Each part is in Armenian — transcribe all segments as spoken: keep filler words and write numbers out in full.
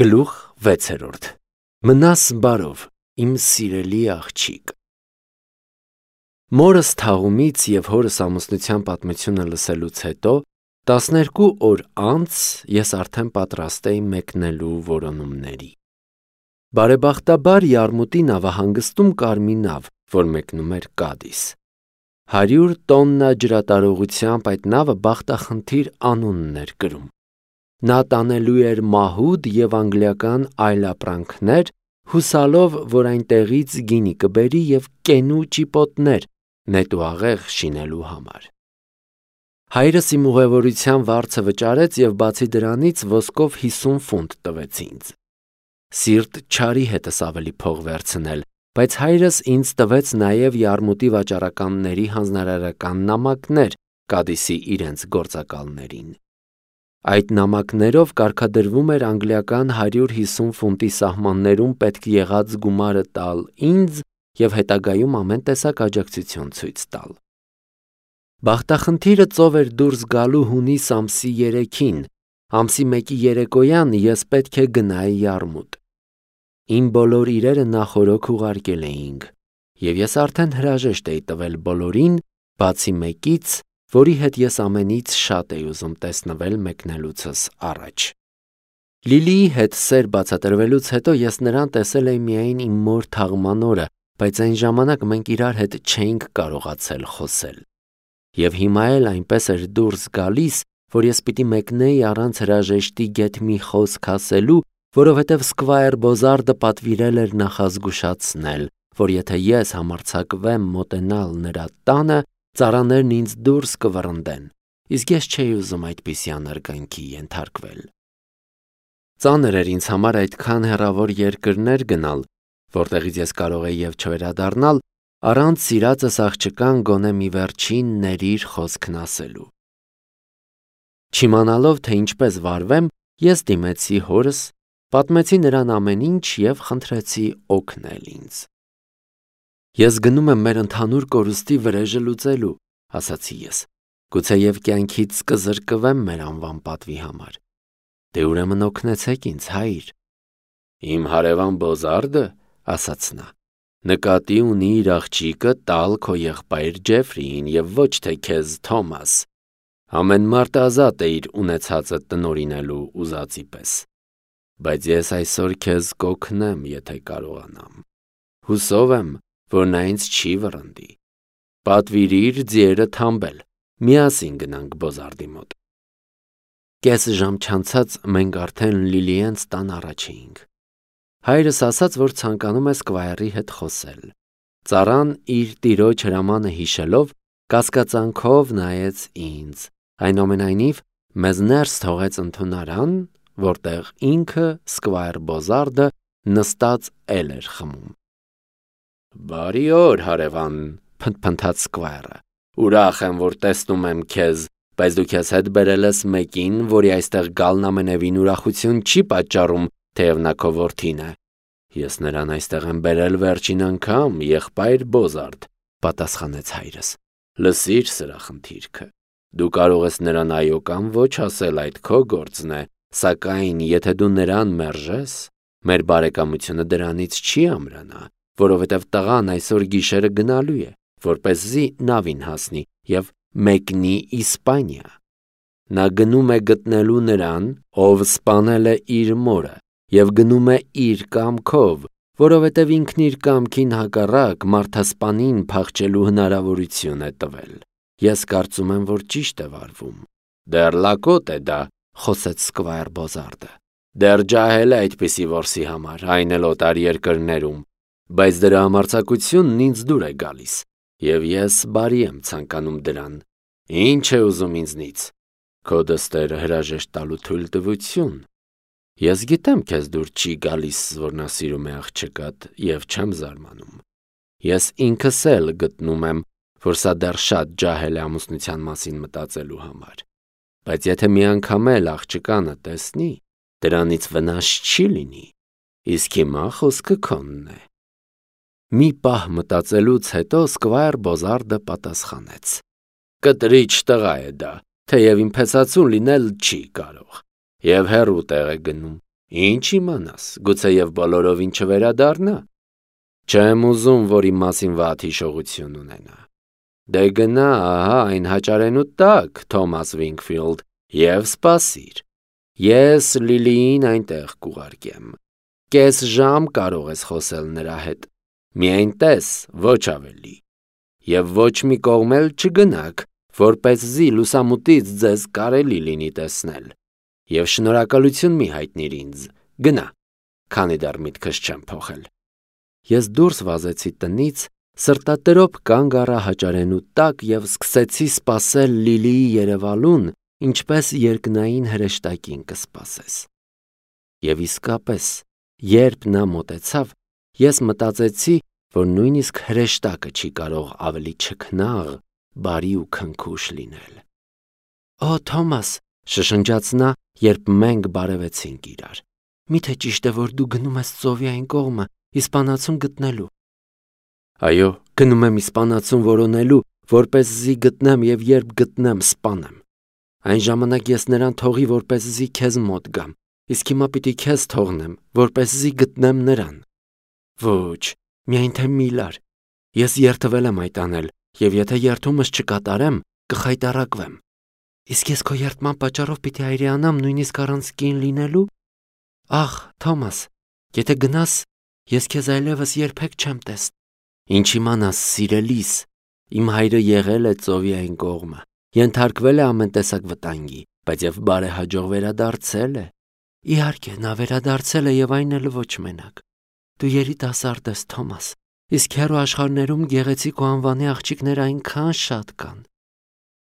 Գլուխ վեցերորդ Մնաս բարով, իմ սիրելի աղջիկ։ Մորս թաղումից և հորս ամուսնության պատմությունը լսելուց հետո տասներկու օր անց ես արդեն պատրաստ էի մեկնելու որոնումների։ Բարեբախտաբար Յարմուտի նավահանգստում կար մի նավ, որ մեկնում էր Կադիս։ Հարյուր տոննա ջրատարողությամբ այդ նավը բախտախնդիր անունն էր կրում։ Նա տանելու էր մահուդ և անգլիական այլապրանքներ, հուսալով, որ այնտեղից գինի կբերի և կենու ճիպոտներ նետուաղեղ շինելու համար։ Հայրս իմ ուղևորության վարձը վճարեց և բացի դրանից ոսկով հիսուն ֆունտ տվեց ինձ։ Սիրտ չարի հետս ավելի փող վերցնել, բայց հայրս ինձ տվեց նաև Յարմուտի վաճառականների հանձնարարական նամակներ Կադիսի իրենց գործակալներին։ Այդ նամակներով կարգադրվում էր անգլիական հարյուր հիսուն ֆունտի սահմաններում պետք եղած գումարը տալ ինձ և հետագայում ամեն տեսակ աջակցություն ցույց տալ։ Բախտախնդիրը ծով էր դուրս գալու հունիս ամսի երեքին, ամսի մեկի երեկոյան ես պետք է գնայի Յարմուտ։ Իմ բոլոր իրերը նախօրոք ուղարկել էինք, և ես արդեն հրաժեշտ էի տվել բոլորին, բացի մեկից, որի հետ ես ամենից շատ էի ուզում տեսնվել մեկնելուցս առաջ։ Լիլիի հետ սեր բացատրվելուց հետո ես նրան տեսել էի միայն իմ մոր թաղման օրը, բայց այն ժամանակ մենք իրար հետ չէինք կարողացել խոսել։ Եվ հիմա էլ այնպես էր դուրս գալիս, որ ես պիտի մեկնեի առանց հրաժեշտի գեթ մի խոսք ասելու, որովհետև Սկվայր Բոզարդը պատվիրել էր նախազգուշացնել, որ եթե ես համարձակվեմ մոտենալ նրա տանը, ծառաներն ինձ դուրս կվռնդեն, իսկ ես չէի ուզում այդպիսի անարգանքի ենթարկվել։ Ծանր էր ինձ համար այդքան հեռավոր երկրներ գնալ, որտեղից ես կարող էի և չվերադառնալ, առանց սիրածս աղջկան գոնե մի վերջին ներիր խոսքն ասելու։ Չիմանալով, թե ինչպես վարվեմ, ես դիմեցի հորս, պատմեցի նրան ամեն ինչ և խնդրեցի օգնել ինձ։ Ես գնում եմ մեր ընդհանուր կորուստի վրեժը լուծելու, ասացի ես, գուցեև կյանքից կզրկվեմ մեր անվան պատվի համար։ Դե ուրեմն օգնեցեք ինձ, հայր։ Իմ հարևան Բոզարդը, ասաց նա, նկատի ունի իր աղջիկը տալ քո եղբայր Ջեֆրիին և ոչ թե քեզ, Թոմաս։ Ամեն մարդ ազատ է իր ունեցածը տնօրինելու ուզածի պես։ Բայց ես այսօր քեզ կօգնեմ, եթե կարողանամ։ Հուսով եմ, որ նա ինձ չի վռնդի։ Պատվիրիր ձիերը թամբել, միասին գնանք Բոզարդի մոտ։ Կես ժամ չանցած մենք արդեն Լիլիենց տան առաջ էինք։ Հայրս ասաց, որ ցանկանում է Սկվայրի հետ խոսել։ Ծառան իր տիրոջ հրամանը հիշելով, կասկածանքով նայեց ինձ, այնուամենայնիվ մեզ ներս թողեց ընդունարան, որտեղ ինքը Սկվայր Բոզարդը նստած էլ էր խմում։ Բարի օր, հարևան, փնթփնթաց Սկվայրը, ուրախ եմ, որ տեսնում եմ քեզ, բայց դու քեզ հետ բերել ես մեկին, որի այստեղ գալն ամենևին ուրախություն չի պատճառում, թեև նա քո որդին է։ Ես նրան այստեղ եմ բերել վերջին անգամ, եղբայր Բոզարդ, պատասխանեց հայրս։ Լսիր սրա խնդիրքը։ Դու կարող ես նրան այո կամ ոչ ասել, այդ քո գործն է, սակայն եթե դու նրան մերժես, մեր բարեկամությունը դրանից չի ամրանա, որովհետև տղան այսօր գիշերը գնալու է, որպեսզի նավին հասնի և մեկնի Իսպանիա։ Նա գնում է գտնելու նրան, ով սպանել է իր մորը, և գնում է իր կամքով, որովհետև ինքն իր կամքին հակառակ մարդասպանին փախչելու հնարավորություն է տվել։ Ես կարծում եմ, որ ճիշտ է վարվում։ Դեռ լակոտ է դա, խոսեց Սկվայր Բոզարդը։ Դեռ ջահել է այդպիսի որսի համար, այն էլ օտար երկրներում, բայց դրա համարձակությունն ինձ դուր է գալիս, և ես բարի եմ ցանկանում դրան։ Ինչ է ուզում ինձնից։ Քո դստերը հրաժեշտ տալու թույլտվություն։ Ես գիտեմ քեզ դուր չի գալիս, որ նա սիրում է աղջկադ, և չեմ զարմանում։ Ես ինքս էլ գտնում եմ, որ սա դեռ շատ ջահել է ամուսնության մասին մտածելու համար։ Բայց եթե մի անգամ էլ աղջկանը տեսնի, դրանից վնաս չի լինի, իսկ հիմա խոսքը քոնն է։ Մի պահ մտածելուց հետո Սկվայր Բոզարդը պատասխանեց. Կտրիչ տղա է դա, թեև իմ փեսացուն լինել չի կարող, և հեռու տեղ է գնում, Ինչ իմանաս, գուցեև բոլորովին չվերադառնա։ Չեմ ուզում, որ իմ մասին վատ հիշողություն ունենա։ Դե գնա, ահա այն հաճարենու տակ, Թոմաս Վինքֆիլդ, և սպասիր։ Ես Լիլիին այնտեղ կուղարկեմ։ Կես ժամ կարող ես խոսել նրա հետ։ Միայն տես, ոչ ավելի։ Եվ ոչ մի կողմ էլ չգնաք, որպեսզի լուսամուտից ձեզ կարելի լինի տեսնել։ Եվ շնորհակալություն մի հայտնիր ինձ, գնա, քանի դեռ միտքս չեմ փոխել։ Ես դուրս վազեցի տնից, սրտատրոփ կանգ առա հաճարենու տակ և սկսեցի սպասել Լիլիի երևալուն, ինչպես երկնային հրեշտակին կսպասես։ Եվ իսկապես, երբ նա մոտեցավ, ես մտածեցի, որ նույնիսկ հրեշտակը չի կարող ավելի չքնաղ, բարի ու քնքուշ լինել։ Օ, Թոմաս, շշնջաց նա, երբ մենք բարևեցինք իրար, միթե ճիշտ է, որ դու գնում ես ծովի այն կողմը, իսպանացուն գտնելու։ Այո, գնում եմ իսպանացուն որոնելու, որպեսզի գտնեմ և երբ գտնեմ, սպանեմ։ Այն ժամանակ ես նրան թողի, որպեսզի քեզ մոտ գամ, իսկ հիմա պիտի քեզ թողնեմ, որպեսզի գտնեմ նրան։ Ոչ, միայն թե մի լար։ Ես երդվել եմ այդ անել, և եթե երդումս չկատարեմ, կխայտառակվեմ։ Իսկ ես քո երդման պատճառով պիտի այրեանամ նույնիսկ առանց կին լինելու։ Ախ, Թոմաս, եթե գնաս, ես քեզ այլևս երբեք չեմ տեսնի։ Ինչ իմանաս, սիրելիս, իմ հայրը եղել է ծովի այն կողմը, ենթարկվել է ամեն տեսակ վտանգի, բայց և բարեհաջող վերադարձել է։ Իհարկե, նա վերադարձել է և այն էլ ոչ մենակ։ Դու երիտասարդ ես, Թոմաս, իսկ հեռու աշխարհներում գեղեցիկ ու անվանի աղջիկներ այնքան շատ կան։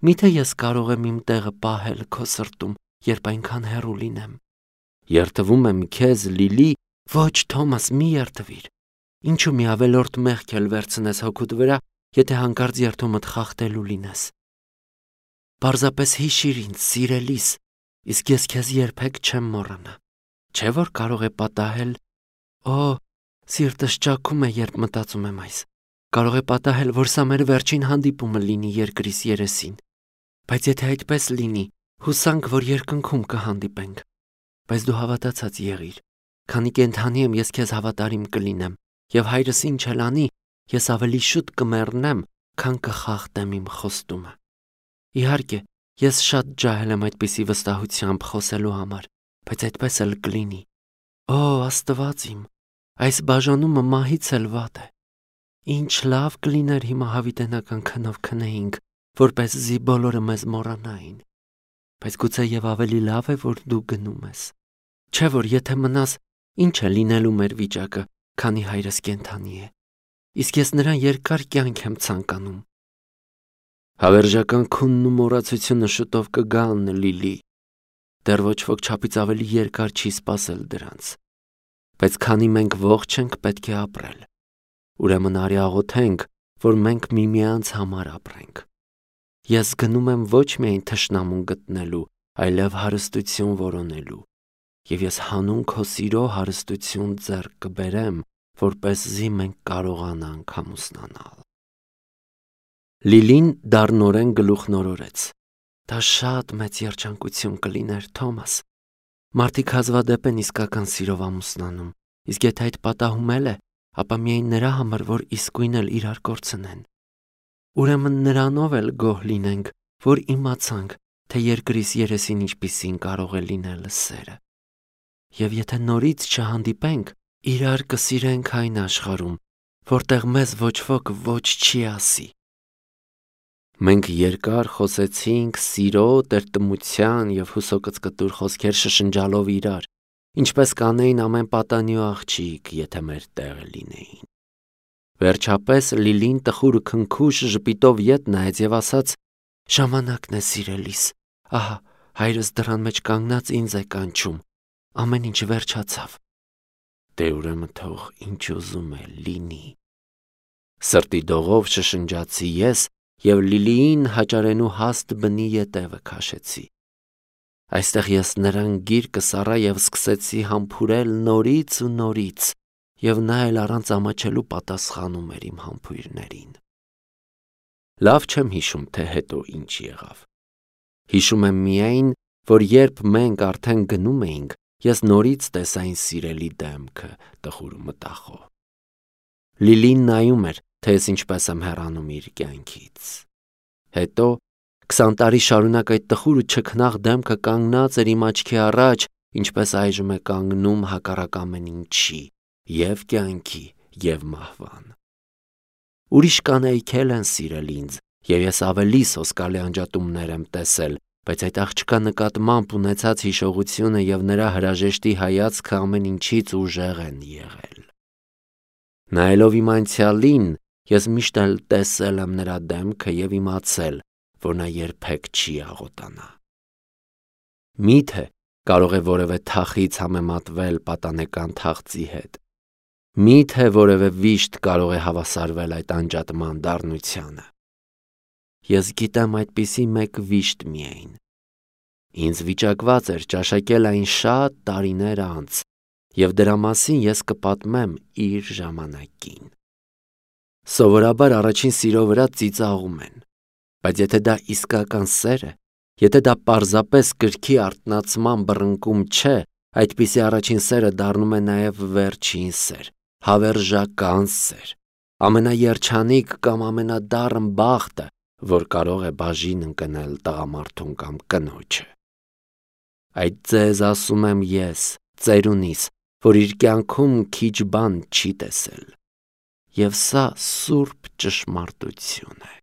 Միթե ես կարող եմ իմ տեղը պահել քո սրտում, երբ այնքան հեռու լինեմ։ Երդվում եմ քեզ, Լիլի, ոչ, Թոմաս, մի երդվիր։ Ինչու մի ավելորդ մեղք էլ վերցնես հոգուդ վրա, եթե հանկարծ երդումդ խախտելու լինես։ Պարզապես հիշիր ինձ, սիրելիս, իսկ ես քեզ երբեք չեմ մոռանա։ Չէ՞ որ կարող է պատահել։ Օ, սիրտս ճաքում է, երբ մտածում եմ այս։ Կարող է պատահել, որ սա մեր վերջին հանդիպումը լինի երկրիս երեսին։ Բայց եթե այդպես լինի, հուսանք, որ երկնքում կհանդիպենք։ Բայց դու հավատացած եղիր, քանի կենդանի եմ ես քեզ հավատարիմ կլինեմ, և հայրս ինչ էլ անի, ես ավելի շուտ կմեռնեմ, քան կխախտեմ իմ խոստումը։ Իհարկե, ես շատ ջահել եմ այդպիսի վստահությամբ խոսելու համար, բայց այդպես էլ կլինի։ Օ, Աստված իմ, այս բաժանումը մահից էլ վատ է։ Ինչ լավ կլիներ հիմա հավիտենական քնով քնեինք, որպեսզի բոլորը մեզ մոռանային։ Բայց գուցե և ավելի լավ է, որ դու գնում ես։ Չէ՞ որ եթե մնաս, ինչ է լինելու մեր վիճակը, քանի հայրս կենդանի է։ Իսկ ես նրան երկար կյանք եմ ցանկանում։ Հավերժական քունն ու մոռացությունը շուտով կգան, Լիլի։ Դեռ ոչ ոք չափից ավելի երկար չի սպասել դրանց։ Բայց քանի մենք ողջ ենք, պետք է ապրել։ Ուրեմն արի աղոթենք, որ մենք միմյանց համար ապրենք։ Ես գնում եմ ոչ միայն թշնամուն գտնելու, այլև հարստություն որոնելու։ Եվ ես հանուն քո սիրո հարստություն ձեռք կբերեմ, որպեսզի մենք կարողանանք ամուսնանալ։ Լիլին դառնորեն գլուխնորորեց։ Դա շատ մեծ երջանկություն կլիներ, Թոմաս։ Մարդիկ հազվադեպ են իսկական սիրով ամուսնանում, իսկ եթե այդ պատահում էլ է, ապա միայն նրա համար, որ իսկույն էլ իրար կորցնեն։ Ուրեմն նրանով էլ գոհ լինենք, որ իմացանք, թե երկրիս երեսին ինչպիսին կարող է լինել սերը։ Եվ եթե նորից չհանդիպենք, իրար կսիրենք այն աշխարհում, որտեղ մեզ ոչ ոք ոչ չի ասի։ Մենք երկար խոսեցինք սիրո, տրտմության և հուսոկծկտուր խոսքեր շշնջալով իրար, ինչպես կանեին ամեն պատանի ու աղջիկ, եթե մեր տեղը լինեին։ Վերջապես Լիլին տխուր ու քնքուշ ժպիտով ետ նայեց և ասաց. «Ժամանակն է, սիրելիս, ահա հայրս դռան մեջ կանգնած ինձ է կանչում, ամեն ինչ վերջացավ»։ Դե ուրեմն թող ինչ ուզում է լինի։ Սրտի դողով շշնջացի ես և Լիլիին հաճարենու հաստ բնի ետևը քաշեցի։ Այստեղ ես նրան գիր կսառա և սկսեցի համբուրել նորից ու նորից, և նա էլ առանց ամաչելու պատասխանում էր իմ համբույրներին։ Լավ չեմ հիշում, թե հետո ինչ եղավ։ Հիշում եմ միայն, որ երբ մենք արդեն գնում էինք, ես նորից տեսա այն սիրելի դեմքը տխուր ու մտախոհ։ Լիլին նայում էր, թե ես ինչպես եմ հեռանում իր կյանքից։ Հետո քսան տարի շարունակ այդ տխուր ու չքնաղ դեմքը կանգնած էր իմ աչքի առաջ, ինչպես այժմ է կանգնում հակառակ ամեն ինչի, և կյանքի, և մահվան։ Ուրիշ կանայք էլ են սիրել ինձ, և ես ավելի սոսկալի անջատումներ եմ տեսել, բայց այդ աղջկա նկատմամբ ունեցած հիշողությունը և նրա հրաժեշտի հայացքը ամեն ինչից ուժեղ են եղել։ Նայելով իմ անցյալին, ես միշտ էլ տեսել եմ նրա դեմքը և իմացել, որ նա երբեք չի աղոտանա։ Մի՞թե կարող է որևէ թախիծ համեմատվել պատանեկան թախծի հետ։ Մի՞թե որևէ վիշտ կարող է հավասարվել այդ անջատման դառնությանը։ Ես գիտեմ այդպիսի մեկ վիշտ միայն։ Ինձ վիճակված էր ճաշակել այն շատ տարիներ անց, և դրա մասին ես կպատմեմ իր ժամանակին։ Սովորաբար առաջին սիրո վրա ծիծաղում են, բայց եթե դա իսկական սեր է, եթե դա պարզապես կրքի արթնացման բռնկում չէ, այդպիսի առաջին սերը դառնում է նաև վերջին սեր, հավերժական սեր, ամենաերջանիկ կամ ամենադառն բախտը, որ կարող է բաժին ընկնել տղամարդուն կամ կնոջը։ Այդ ձեզ ասում եմ ես, ծերունիս, որ իր կյանքում քիչ բան չի տեսել։ Եվ սա սուրբ ճշմարտություն է։